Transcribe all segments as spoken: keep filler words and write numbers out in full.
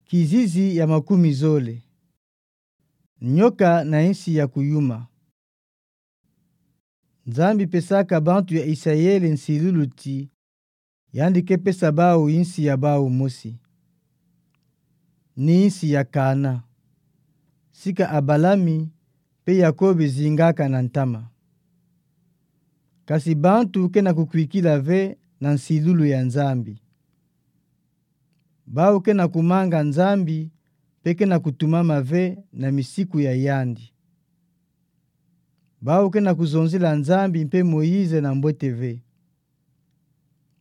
Kizizi ya makumi zole. Nyoka na insi ya kuyuma. Nzambi pesaka bantu ya Isayeli nsilulu ti, yandi ke pesa bau insi ya bau mosi. Ni insi ya Kaana. Sika Abalami mpe Yakobi zingaka na ntama. Kasi bantu ke na kukwikila ve na nsilulu ya Nzambi. Bau ke na kumanga Nzambi, mpe ke na kutumama ve na misiku ya yandi. Bau ke na kuzonzila Nzambi mpe Moïse na mbwete ve.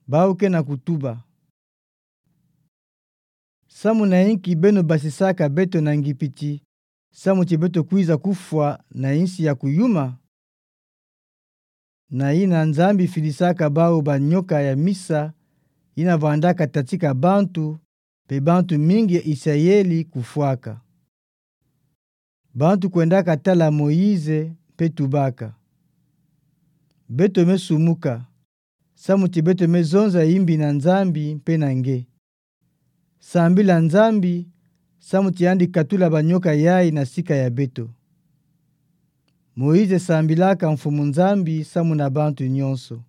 Bau ke na kutuba: Samu na inki beno basisaka beto na Ngipiti, samu ti beto kwiza kufwa na insi ya kuyuma? Na yina Nzambi filisaka bau banyoka ya misa, yina vwandaka tatika bantu, mpe bantu mingi ya Isayeli kufwaka. Bantu kwendaka tala Moïse mpe tubaka: Beto me sumuka, samu ti beto me zonza imbi na Nzambi mpe na nge. Sambila Nzambi, samu ti yandi katula banyoka yayi na sika ya beto. Moïse sambilaka Mfumu Nzambi samu na bantu nyonso.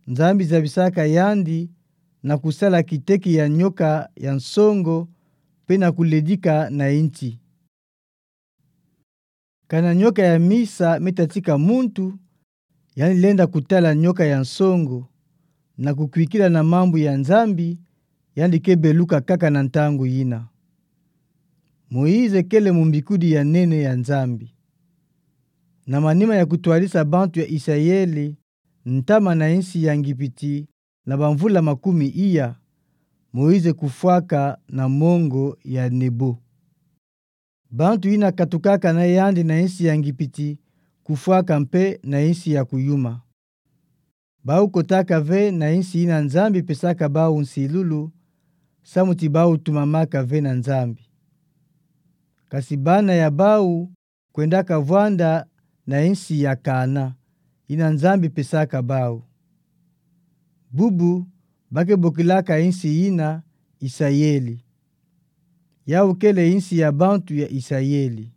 Nzambi zabisaka yandi na kusala kiteki ya nyoka ya nsongo, mpe na kuledika na inti. Kana nyoka ya misa me tatika muntu, yandi lenda kutala nyoka ya nsongo, na kukwikila na mambu ya Nzambi, yandi ke beluka kaka na ntangu yina. Moïse kele mumbikudi ya nene ya Nzambi. Na manima ya kutwadisa bantu ya Isayeli ntama na insi ya Ngipiti na bamvula makumi iya, Moïse kufwaka na mongo ya Nebo. Bantu yina katukaka na yandi na insi ya Ngipiti kufwaka mpe na insi ya kuyuma. Bau kotaka ve na insi yina Nzambi pesaka bau nsilulu, samu ti bau tumamaka ve na Nzambi. Kasi bana ya bau kwendaka vwanda na insi ya Kaana, yina Nzambi pesaka bau. Bubu ba ke bokilaka insi yina Isayeli. Yau kele insi ya bantu ya Isayeli.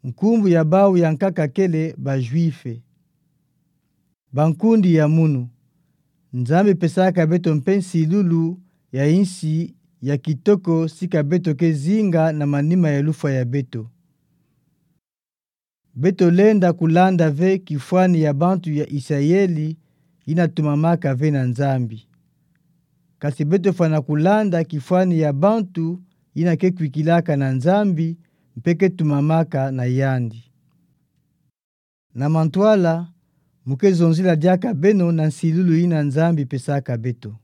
Nkumbu ya bau ya nkaka kele ba Juifs. Bankundi ya munu, Nzambi pesaka beto mpe nsilulu ya insi ya kitoko sika beto ke zinga na manima ya lufwa ya beto. Beto lenda kulanda ve kifwani ya bantu ya Isayeli yina tumamaka ve na Nzambi. Kasi beto fwana kulanda kifwani ya bantu yina ke kwikilaka na Nzambi mpe ke tumamaka na yandi. Na mantwala, mu ke zonzila diaka beno na nsilulu yina Nzambi pesaka beto.